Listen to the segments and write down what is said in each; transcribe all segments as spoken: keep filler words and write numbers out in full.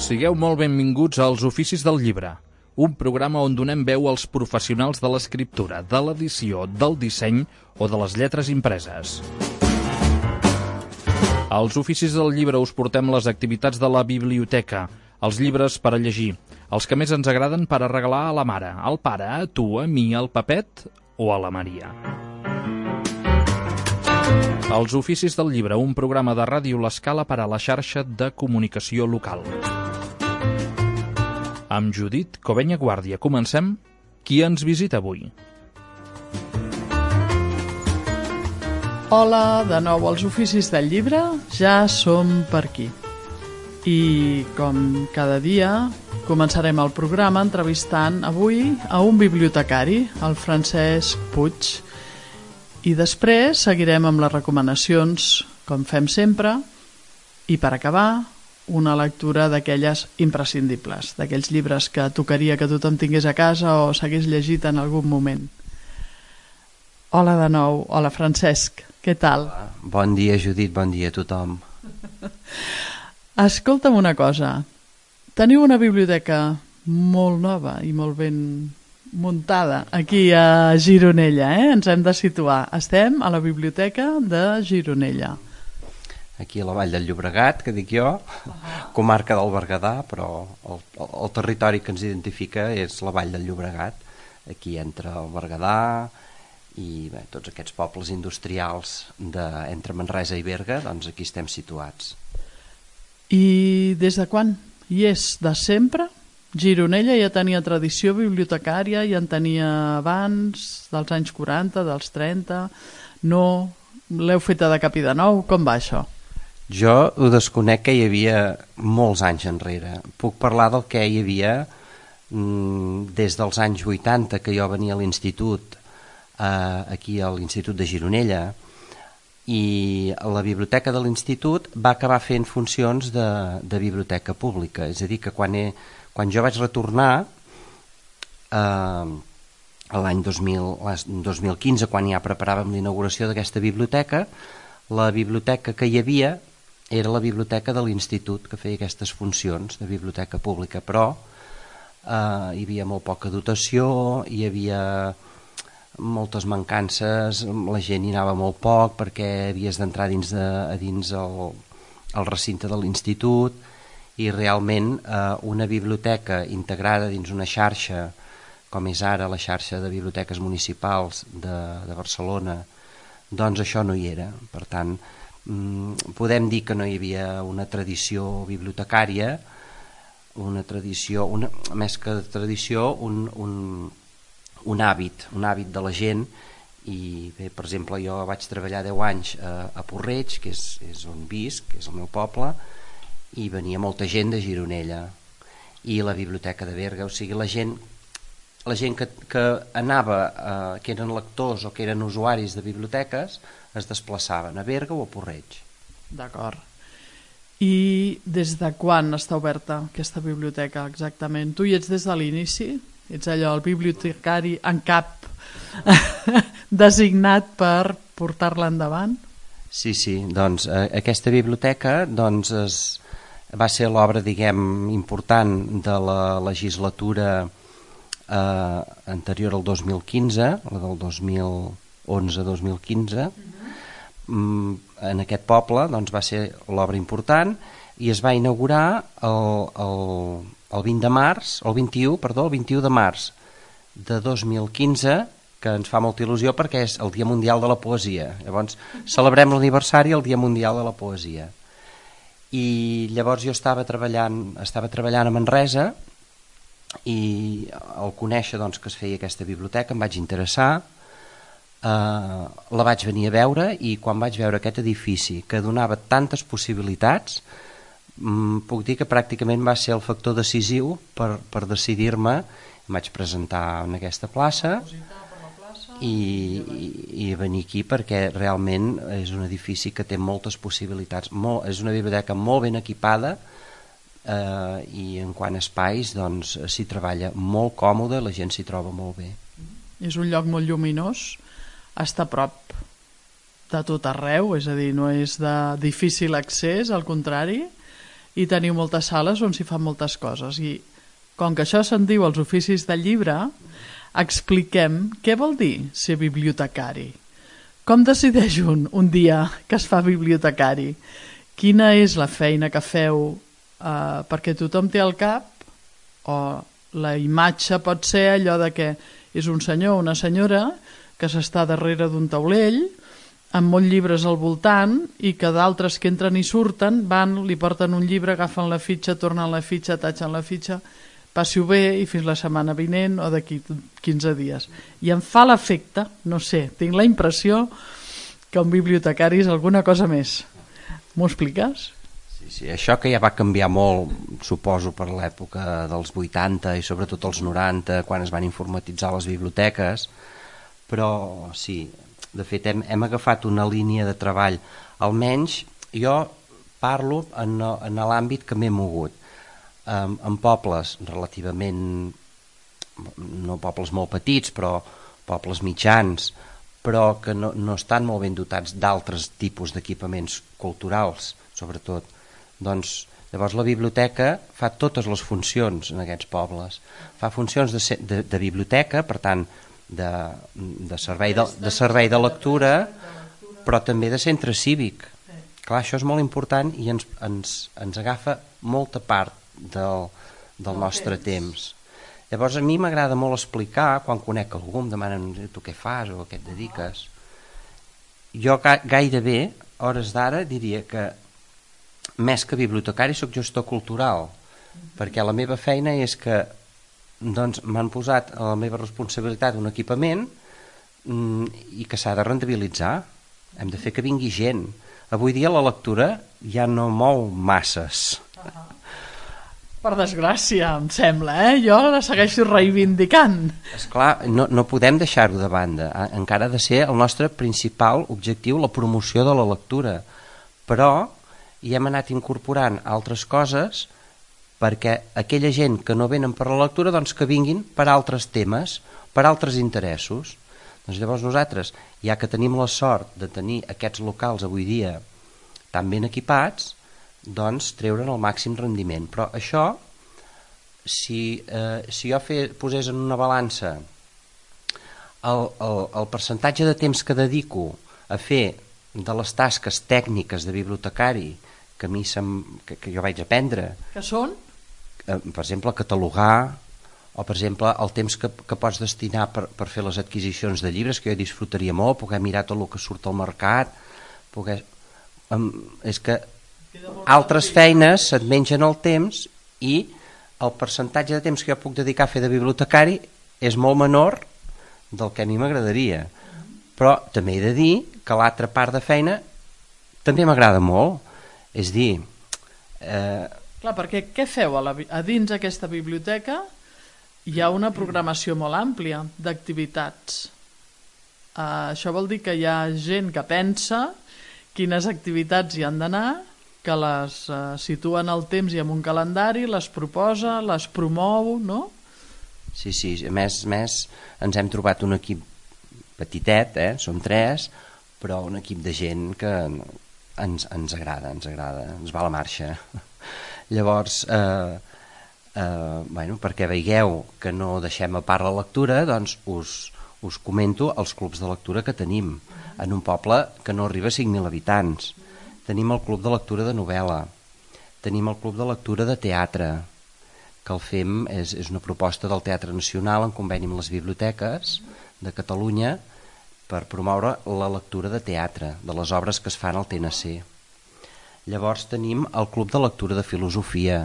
Sigueu molt benvinguts als Oficis del Llibre, un programa on donem veu als professionals de l'escriptura, de l'edició, del disseny o de les lletres impreses. Als Oficis del Llibre us portem les activitats de la biblioteca, els llibres per a llegir, els que més ens agraden per a regalar a la mare, al pare, a tu, a mi, al Pepet o a la Maria. Els Oficis del Llibre, un programa de Ràdio L'Escala per a la xarxa de comunicació local. Amb Judit Covenya Guàrdia comencem. Qui ens visita avui? Hola, de nou als Oficis del Llibre, ja som per aquí. I com cada dia començarem el programa entrevistant avui a un bibliotecari, el Francesc Puig. I després seguirem amb les recomanacions, com fem sempre, i per acabar, una lectura d'aquelles imprescindibles, d'aquells llibres que tocaria que tothom tingués a casa o s'hagués llegit en algun moment. Hola de nou, hola Francesc, què tal? Hola. Bon dia Judit, bon dia a tothom. Escolta'm una cosa, teniu una biblioteca molt nova i molt ben muntada aquí a Gironella, eh? Ens hem de situar. Estem a la biblioteca de Gironella. Aquí a la Vall del Llobregat, que dic jo, comarca del Berguedà, però el, el territori que ens identifica és la Vall del Llobregat, aquí entre el Berguedà i bé, tots aquests pobles industrials de, entre Manresa i Berga, doncs aquí estem situats. I des de quan? I és de sempre? Gironella ja tenia tradició bibliotecària, ja en tenia abans, dels anys quaranta, dels trenta, no? L'heu feta de cap i de nou? Com va això? Jo ho desconec, que hi havia molts anys enrere. Puc parlar del que hi havia mmm, des dels anys vuitanta, que jo venia a l'institut, eh, aquí a l'Institut de Gironella, i la biblioteca de l'institut va acabar fent funcions de, de biblioteca pública. És a dir, que quan, he, quan jo vaig retornar eh, l'any dos mil quinze, quan ja preparàvem l'inauguració d'aquesta biblioteca, la biblioteca que hi havia era la biblioteca de l'institut, que feia aquestes funcions de biblioteca pública, però eh, hi havia molt poca dotació, hi havia moltes mancances, la gent hi anava molt poc perquè havies d'entrar dins, de, a dins el, el recinte de l'institut, i realment eh, una biblioteca integrada dins una xarxa com és ara la xarxa de biblioteques municipals de, de Barcelona, doncs això no hi era. Per tant, podem dir que no hi havia una tradició bibliotecària, una tradició, una, més que tradició, un, un, un hàbit, un hàbit de la gent. I bé, per exemple, jo vaig treballar deu anys a, a Porreig, que és, és on visc, que és el meu poble, i venia molta gent de Gironella, i la biblioteca de Berga, o sigui, la gent la gent que, que anava, eh, que eren lectors o que eren usuaris de biblioteques, es desplaçaven a Berga o a Porreig. D'acord. I des de quan està oberta aquesta biblioteca exactament? Tu hi ets des de l'inici? Ets allò, el bibliotecari en cap designat per portar-la endavant? Sí, sí, doncs eh, aquesta biblioteca doncs, es, va ser l'obra, diguem, important de la legislatura Eh, anterior al dos mil quinze, la del dos mil onze dos mil quinze. Uh-huh. En aquest poble doncs, va ser l'obra important i es va inaugurar el, el, el vint de març, el vint-i-u, perdó, el vint-i-u de març de dos mil quinze, que ens fa molta il·lusió perquè és el Dia Mundial de la Poesia. Llavors celebrem l'aniversari el Dia Mundial de la Poesia. I llavors jo estava treballant, estava treballant a Manresa, i al conèixer doncs, que es feia aquesta biblioteca em vaig interessar, eh, la vaig venir a veure, i quan vaig veure aquest edifici que donava tantes possibilitats, mm, puc dir que pràcticament va ser el factor decisiu per, per decidir-me. Em vaig presentar en aquesta plaça i, i, i venir aquí perquè realment és un edifici que té moltes possibilitats, molt, és una biblioteca molt ben equipada. Uh, i en quant a espais doncs s'hi treballa molt còmode, la gent s'hi troba molt bé. És un lloc molt lluminós, està a prop de tot arreu, és a dir, no és de difícil accés, al contrari, i teniu moltes sales on s'hi fan moltes coses. I com que això se'n diu els oficis del llibre, expliquem què vol dir ser bibliotecari. Com decideix un un dia que es fa bibliotecari? Quina és la feina que feu? Eh, perquè tothom té al cap, o la imatge pot ser allò de que és un senyor o una senyora que s'està darrere d'un taulell amb molts llibres al voltant i que d'altres que entren i surten van, li porten un llibre, agafen la fitxa, tornen la fitxa, tatxen la fitxa, passi-ho bé i fins la setmana vinent o d'aquí quinze dies. I em fa l'efecte, no sé, tinc la impressió que un bibliotecari és alguna cosa més. M'ho expliques? Sí, sí, això que ja va canviar molt, suposo, per l'època dels vuitanta i sobretot els noranta, quan es van informatitzar les biblioteques, però sí, de fet hem, hem agafat una línia de treball, almenys jo parlo en, en l'àmbit que m'he mogut, en, en pobles relativament, no pobles molt petits, però pobles mitjans, però que no, no estan molt ben dotats d'altres tipus d'equipaments culturals, sobretot. Doncs, llavors la biblioteca fa totes les funcions en aquests pobles. Fa funcions de, de, de biblioteca, per tant, de, de, servei de, de servei de lectura, però també de centre cívic. Clar, això és molt important i ens, ens, ens agafa molta part del, del nostre temps. Llavors a mi m'agrada molt explicar, quan conec algú, em demanen tu què fas o a què et dediques. Jo ga, gairebé, hores d'ara, diria que més que bibliotecari soc gestor cultural, perquè la meva feina és que doncs, m'han posat a la meva responsabilitat un equipament mm, i que s'ha de rendibilitzar. Hem de fer que vingui gent. Avui dia la lectura ja no mou masses. Uh-huh. Per desgràcia, em sembla, eh? Jo la segueixo reivindicant. Esclar, no, no podem deixar-ho de banda. Encara ha de ser el nostre principal objectiu la promoció de la lectura. Però hi hem anat incorporant altres coses perquè aquella gent que no venen per la lectura doncs que vinguin per altres temes, per altres interessos. Doncs llavors nosaltres, ja que tenim la sort de tenir aquests locals avui dia tan ben equipats, doncs treure'n el màxim rendiment. Però això, si, eh, si jo fe, posés en una balança el, el, el percentatge de temps que dedico a fer de les tasques tècniques de bibliotecari que a mi sem, que, que jo vaig aprendre, que són? Eh, per exemple, catalogar, o per exemple el temps que, que pots destinar per, per fer les adquisicions de llibres, que jo disfrutaria molt, poder mirar tot el que surt al mercat, poder... Um, és que altres feines se't mengen el temps i el percentatge de temps que jo puc dedicar a fer de bibliotecari és molt menor del que a mi m'agradaria. Però també he de dir que l'altra part de feina també m'agrada molt. És dir... Eh... Clar, perquè què feu a, la, a dins aquesta biblioteca? Hi ha una programació molt àmplia d'activitats. Uh, això vol dir que hi ha gent que pensa quines activitats hi han d'anar, que les uh, situen al temps i en un calendari, les proposa, les promou, no? Sí, sí, a més, més ens hem trobat un equip petitet, eh? Som tres, però un equip de gent que ens, ens agrada, ens agrada, ens va a la marxa. Llavors, eh, eh, bueno, perquè veieu que no deixem a part la lectura, doncs us, us comento els clubs de lectura que tenim en un poble que no arriba a cinc mil habitants. Tenim el club de lectura de novel·la, tenim el club de lectura de teatre, que el fem, és, és una proposta del Teatre Nacional en conveni amb les biblioteques de Catalunya per promoure la lectura de teatre, de les obres que es fan al T N C. Llavors tenim el club de lectura de filosofia,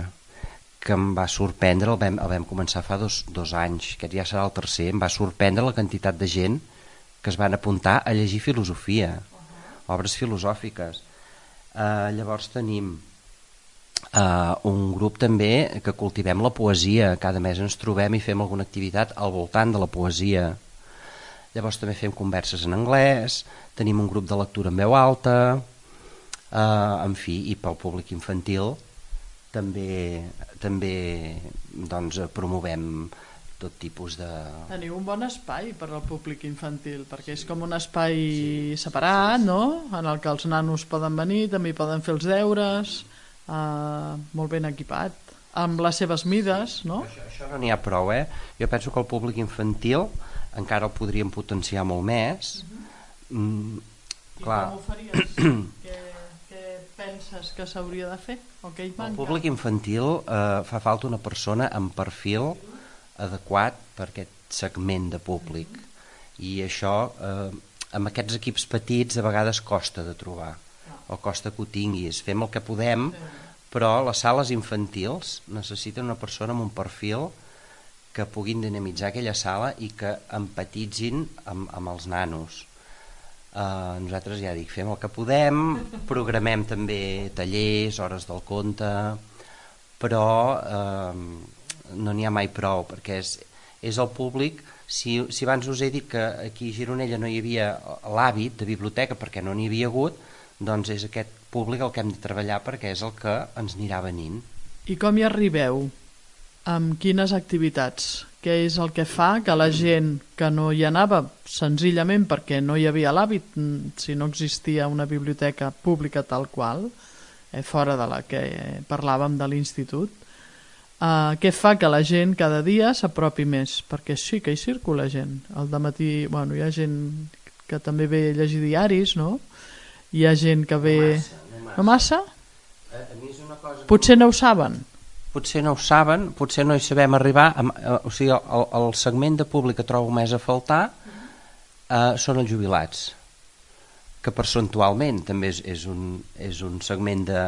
que em va sorprendre, el vam, el vam començar fa dos, dos anys, aquest ja serà el tercer, em va sorprendre la quantitat de gent que es van apuntar a llegir filosofia, obres filosòfiques. Uh, llavors tenim uh, un grup també que cultivem la poesia, cada mes ens trobem i fem alguna activitat al voltant de la poesia. Llavors també fem converses en anglès, tenim un grup de lectura en veu alta, uh, en fi, i pel públic infantil també, també doncs, promovem tot tipus de... Teniu un bon espai per al públic infantil, perquè és com un espai sí, separat, sí, sí. No? En el que els nanos poden venir, també poden fer els deures, uh, molt ben equipat, amb les seves mides, no? Això, això no n'hi ha prou, eh? Jo penso que el públic infantil encara el podríem potenciar molt més. Uh-huh. mm, I clar. com ho faries? què, què penses que s'hauria de fer? O què hi manca? El públic infantil eh, fa falta una persona amb perfil adequat per aquest segment de públic. I això, eh, amb aquests equips petits, a vegades costa de trobar, o costa que ho tinguis. Fem el que podem, però les sales infantils necessiten una persona amb un perfil que puguin dinamitzar aquella sala i que empatitzin amb, amb els nanos. Uh, nosaltres, ja dic, fem el que podem, programem també tallers, hores del conte, però uh, no n'hi ha mai prou, perquè és, és el públic. Si, si abans us he dit que aquí a Gironella no hi havia l'hàbit de biblioteca perquè no n'hi havia hagut, doncs és aquest públic el que hem de treballar, perquè és el que ens anirà venint. I com hi arribeu? Amb quines activitats? Què és el que fa que la gent que no hi anava senzillament perquè no hi havia l'hàbit, si no existia una biblioteca pública tal qual, eh, fora de la que parlàvem de l'institut, eh, què fa que la gent cada dia s'apropi més? Perquè sí que hi circula gent. Al dematí, bueno, hi ha gent que també ve a llegir diaris, no? Hi ha gent que ve... No massa? No massa? No massa? A, a mi és una cosa que... Potser no ho saben. Potser no ho saben, potser no hi sabem arribar, amb, eh, o sigui, el, el segment de públic que trobo més a faltar eh, són els jubilats, que percentualment també és, és, un, és un segment de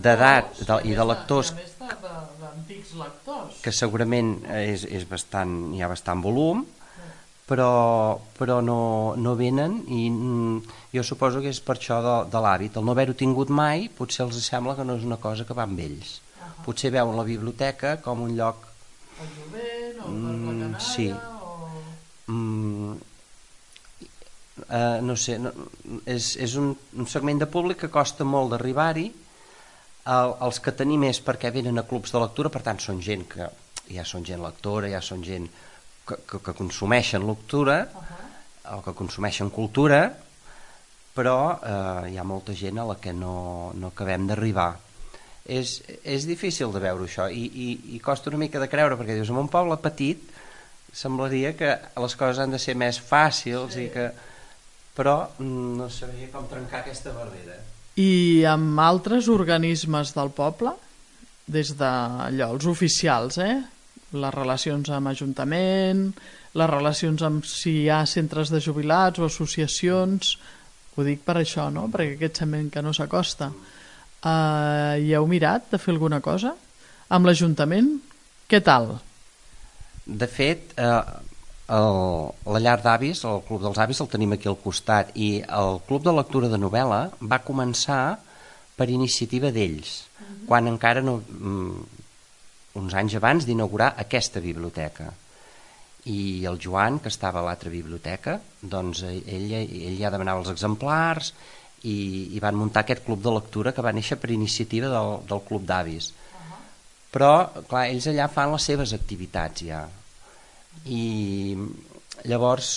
d'edat de, i de lectors, d'antics lectors, que segurament és, és bastant, hi ha bastant volum, però, però no, no venen, i mm, jo suposo que és per això de, de l'hàbit. El no haver-ho tingut mai potser els sembla que no és una cosa que va amb ells. Potser veuen la biblioteca com un lloc... El jovent, o per la canalla, sí. o... Mm, eh, no sé, no, és, és un, un segment de públic que costa molt d'arribar-hi. El, els que tenim és perquè venen a clubs de lectura, per tant són gent que ja són gent lectora, ja són gent que, que, que consumeixen lectura, uh-huh. o que consumeixen cultura, però eh, hi ha molta gent a la que no, no acabem d'arribar. És, és difícil de veure això, i, i, i costa una mica de creure, perquè dius, en un poble petit semblaria que les coses han de ser més fàcils, sí. i que... però no sabria com trencar aquesta barrera. I amb altres organismes del poble, des d'allò, els oficials, eh? Les relacions amb Ajuntament, les relacions amb si hi ha centres de jubilats o associacions, ho dic per això, no? Perquè aquest sembla que no s'acosta. Uh, hi heu mirat de fer alguna cosa? Amb l'Ajuntament? Què tal? De fet, eh, el, la llar d'avis, el Club dels Avis, el tenim aquí al costat, i el Club de Lectura de Novel·la va començar per iniciativa d'ells, uh-huh. quan encara no, uns anys abans d'inaugurar aquesta biblioteca. I el Joan, que estava a l'altra biblioteca, doncs ell, ell ja demanava els exemplars, i, i van muntar aquest club de lectura que va néixer per iniciativa del, del Club d'Avis. Uh-huh. Però, clar, ells allà fan les seves activitats ja. I llavors,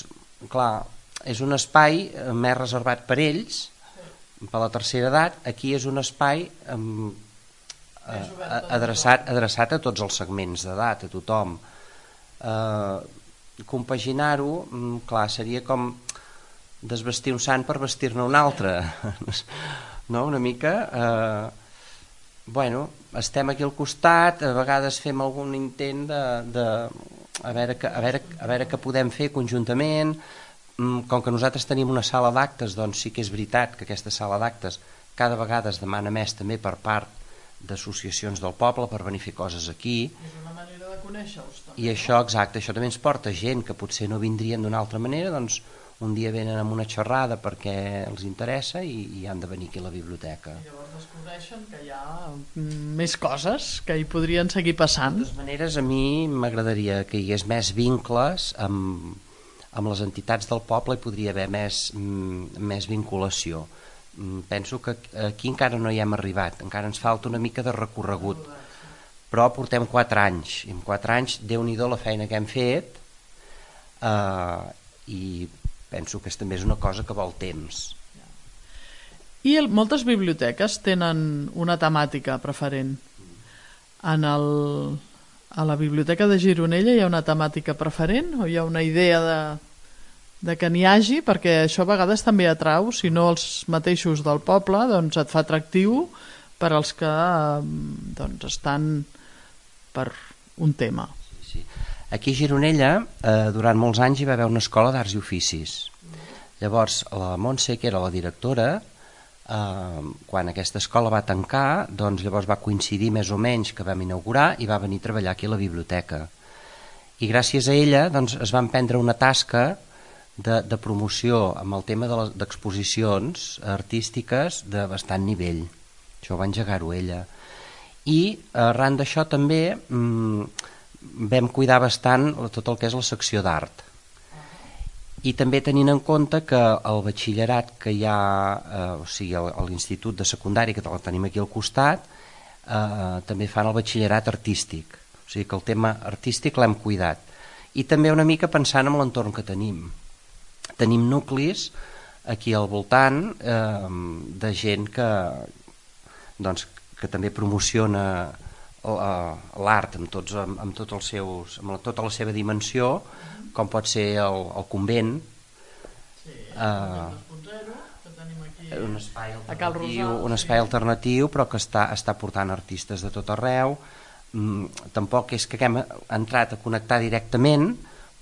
clar, és un espai més reservat per ells, sí. per la tercera edat. Aquí és un espai um, eh, adreçat, adreçat a tots els segments d'edat, a tothom. Eh, compaginar-ho, clar, seria com desvestir un sant per vestir-ne un altre, no? Una mica eh, bueno, estem aquí al costat, a vegades fem algun intent de, de a, veure que, a, veure, a veure què podem fer conjuntament. Com que nosaltres tenim una sala d'actes, doncs sí que és veritat que aquesta sala d'actes cada vegada es demana més també per part d'associacions del poble per venir a fer coses aquí. És una manera de conèixer-vos també. I això, exacte, això també ens porta gent que potser no vindrien d'una altra manera, doncs un dia venen amb una xerrada perquè els interessa i, i han de venir aquí a la biblioteca. I llavors descobreixen que hi ha més coses que hi podrien seguir passant. De totes maneres, a mi m'agradaria que hi hagués més vincles amb, amb les entitats del poble, i podria haver més, més vinculació. Penso que aquí encara no hi hem arribat, encara ens falta una mica de recorregut, però portem quatre anys, i en quatre anys Déu-n'hi-do la feina que hem fet, eh, i penso que també és una cosa que vol temps. I el, moltes biblioteques tenen una temàtica preferent. En el, a la biblioteca de Gironella hi ha una temàtica preferent o hi ha una idea de, de que n'hi hagi? Perquè això a vegades també atrau, si no els mateixos del poble, doncs et fa atractiu per als que doncs, estan per un tema. Sí, sí. Aquí a Gironella, eh, durant molts anys hi va haver una escola d'arts i oficis. Llavors, la Montse, que era la directora, eh, quan aquesta escola va tancar, doncs llavors va coincidir més o menys que vam inaugurar i va venir a treballar aquí a la biblioteca. I gràcies a ella doncs, es van prendre una tasca de, de promoció amb el tema d'exposicions de artístiques de bastant nivell. Això va engegar-ho ella. I arran d'això també mmm, vam cuidar bastant tot el que és la secció d'art. I també tenint en compte que el batxillerat que hi ha, eh, o sigui, a l'institut de secundari, que el tenim aquí al costat, eh, també fan el batxillerat artístic. O sigui que el tema artístic l'hem cuidat. I també una mica pensant en l'entorn que tenim. Tenim nuclis aquí al voltant eh, de gent que, doncs, que també promociona l'art amb, tots, amb, amb, tots els seus, amb tota la seva dimensió, com pot ser el, el convent, sí, eh, que tenim aquí un espai a Cal alternatiu, Rosal, un espai sí. alternatiu, però que està, està portant artistes de tot arreu. Mm, tampoc és que haguem entrat a connectar directament,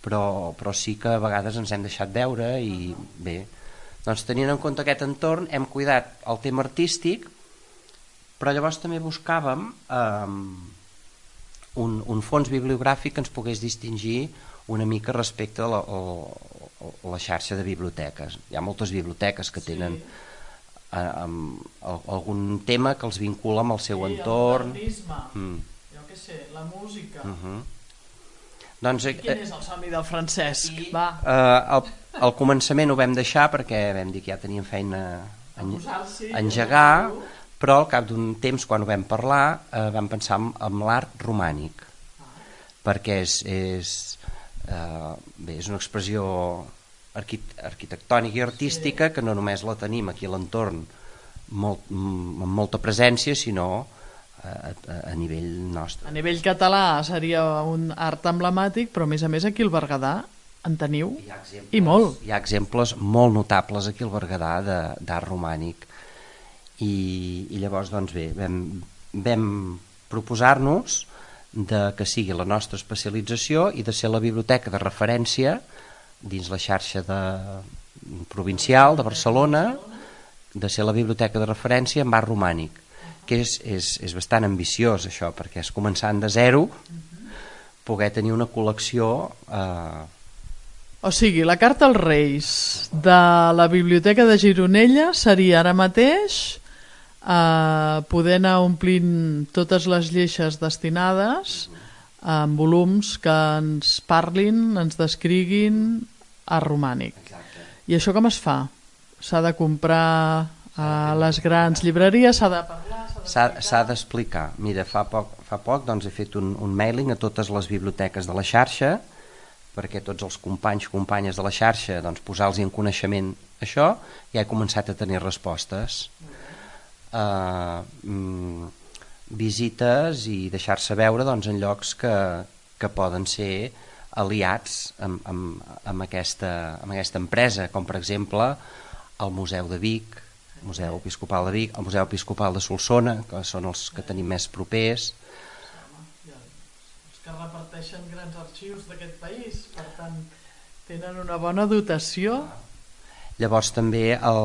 però, però sí que a vegades ens hem deixat veure i bé, doncs tenint en compte aquest entorn hem cuidat el tema artístic, però llavors també buscàvem eh, un, un fons bibliogràfic que ens pogués distingir una mica respecte a la, a, a la xarxa de biblioteques. Hi ha moltes biblioteques que tenen sí. a, a, a, algun tema que els vincula amb el seu sí, entorn. El modernisme, mm. jo què sé, la música. Uh -huh. Doncs, I quin és el somni del Francesc? I, Va. Eh, al, al començament ho vam deixar perquè vam dir que ja teníem feina a, a engegar, però al cap d'un temps, quan ho vam parlar, eh, vam pensar en, en l'art romànic, ah. perquè és, és, eh, bé, és una expressió arquitectònica i artística sí. que no només la tenim aquí a l'entorn molt, amb molta presència, sinó a, a, a nivell nostre. A nivell català seria un art emblemàtic, però a més a més aquí al Berguedà en teniu exemples, i molt. Hi ha exemples molt notables aquí al Berguedà d'art romànic. I, i llavors doncs bé, vam, vam proposar-nos de que sigui la nostra especialització i de ser la biblioteca de referència dins la xarxa de, provincial de Barcelona, de ser la biblioteca de referència en art romànic, que és, és, és bastant ambiciós això, perquè és començant de zero poder tenir una col·lecció eh... o sigui, la carta als Reis de la Biblioteca de Gironella seria ara mateix Uh, poder anar omplint totes les lleixes destinades en volums que ens parlin, ens descriguin art romànic. Exacte. I això com es fa? S'ha de comprar a les grans llibreries, s'ha de parlar, s'ha d'explicar. Mira, fa poc, fa poc doncs, he fet un, un mailing a totes les biblioteques de la xarxa perquè tots els companys, companyes de la xarxa doncs, posar-los en coneixement això, i he començat a tenir respostes. Uh, mm, visites i deixar-se veure doncs, en llocs que, que poden ser aliats amb, amb, amb, aquesta, amb aquesta empresa, com per exemple el Museu de Vic, el Museu Episcopal de Vic, el Museu Episcopal de Solsona, que són els que tenim més propers. Els que reparteixen grans arxius d'aquest país, per tant tenen una bona dotació. Llavors també el,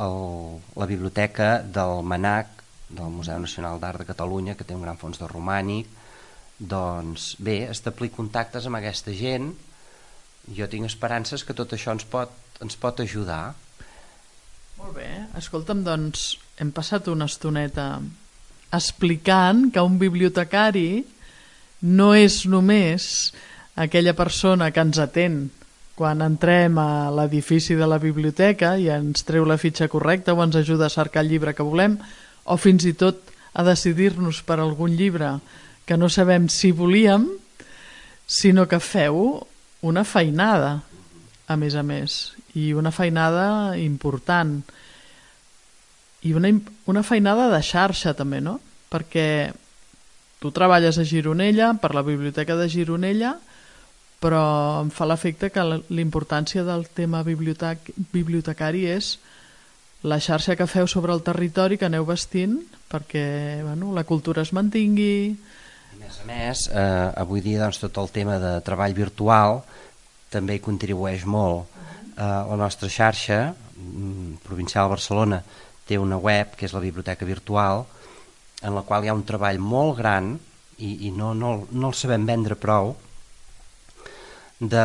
el, la biblioteca del MANAC, del Museu Nacional d'Art de Catalunya, que té un gran fons de romànic, doncs bé, establir contactes amb aquesta gent. Jo tinc esperances que tot això ens pot, ens pot ajudar. Molt bé, escolta'm, doncs hem passat una estoneta explicant que un bibliotecari no és només aquella persona que ens atén quan entrem a l'edifici de la biblioteca i ens treu la fitxa correcta o ens ajuda a cercar el llibre que volem, o fins i tot a decidir-nos per algun llibre que no sabem si volíem, sinó que feu una feinada, a més a més, i una feinada important. i una, una feinada de xarxa també, no? Perquè tu treballes a Gironella, per la Biblioteca de Gironella, però em fa l'efecte que l'importància del tema bibliotec bibliotecari és la xarxa que feu sobre el territori que aneu vestint perquè bueno, la cultura es mantingui. A més a més, eh, avui dia doncs, tot el tema de treball virtual també hi contribueix molt. Eh, la nostra xarxa provincial de Barcelona té una web que és la Biblioteca Virtual, en la qual hi ha un treball molt gran i, i no, no, no el sabem vendre prou, de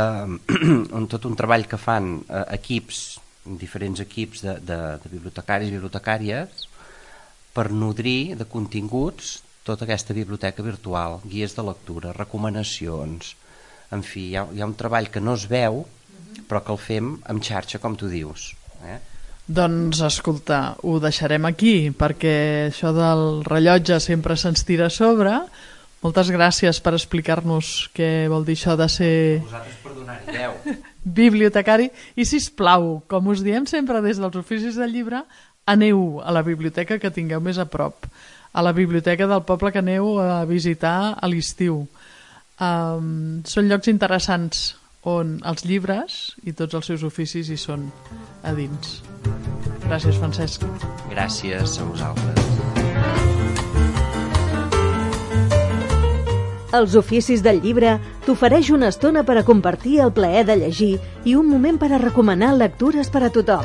on tot un treball que fan eh, equips, diferents equips de, de, de bibliotecaris i bibliotecàries per nodrir de continguts tota aquesta biblioteca virtual, guies de lectura, recomanacions, en fi, hi ha, hi ha un treball que no es veu però que el fem amb xarxa, com tu dius. Eh? Doncs escolta, ho deixarem aquí perquè això del rellotge sempre se'ns tira a sobre. Moltes gràcies per explicar-nos què vol dir això de ser vosaltres per donar-hi veu. Bibliotecari. I sisplau, com us diem sempre des dels oficis del llibre, aneu a la biblioteca que tingueu més a prop, a la biblioteca del poble que aneu a visitar a l'estiu. Um, són llocs interessants on els llibres i tots els seus oficis hi són a dins. Gràcies, Francesc. Gràcies a vosaltres. Els oficis del llibre t'ofereix una estona per a compartir el plaer de llegir i un moment per a recomanar lectures per a tothom.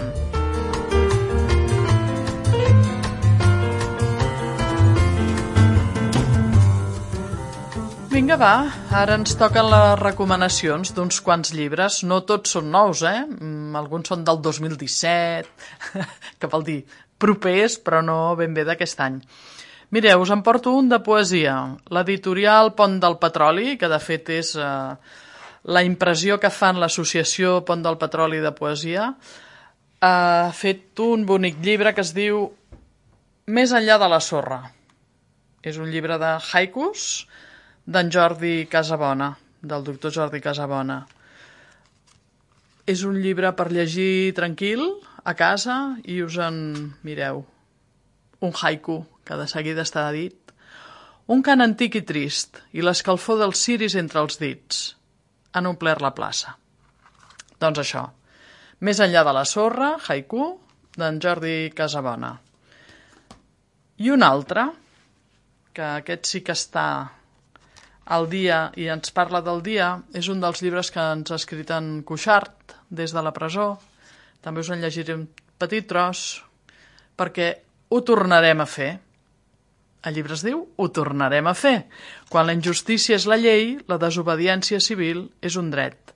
Vinga, va, ara ens toquen les recomanacions d'uns quants llibres. No tots són nous, eh? Alguns són del dos mil disset, que vol dir propers, però no ben bé d'aquest any. Mireu, us en porto un de poesia. L'editorial Pont del Petroli, que de fet és eh, la impressió que fan l'associació Pont del Petroli de poesia, ha fet un bonic llibre que es diu Més enllà de la sorra. És un llibre de haikus d'en Jordi Casabona, del doctor Jordi Casabona. És un llibre per llegir tranquil, a casa, i us en mireu. Un haiku, que de seguida està dit. Un cant antic i trist, i l'escalfor dels ciris entre els dits han omplert la plaça. Doncs això, Més enllà de la sorra, haiku, d'en Jordi Casabona. I un altre, que aquest sí que està al dia i ens parla del dia, és un dels llibres que ens ha escrit en Cuixart des de la presó. També us en llegiré un petit tros, perquè ho tornarem a fer. El llibre es diu Ho tornarem a fer. Quan la injustícia és la llei, la desobediència civil és un dret.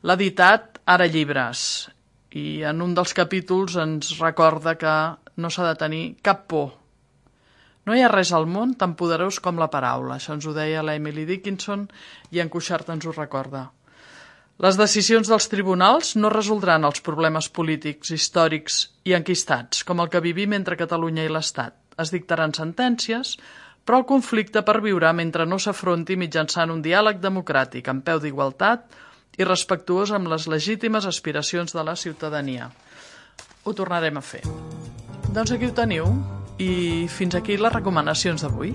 L'ha editat Ara Llibres, i en un dels capítols ens recorda que no s'ha de tenir cap por. No hi ha res al món tan poderós com la paraula. Això ens ho deia la Emily Dickinson i en Cuixart ens ho recorda. Les decisions dels tribunals no resoldran els problemes polítics, històrics i enquistats, com el que vivim entre Catalunya i l'Estat. Es dictaran sentències, però el conflicte perviurà mentre no s'afronti mitjançant un diàleg democràtic, en peu d'igualtat i respectuós amb les legítimes aspiracions de la ciutadania. Ho tornarem a fer. Doncs aquí ho teniu, i fins aquí les recomanacions d'avui.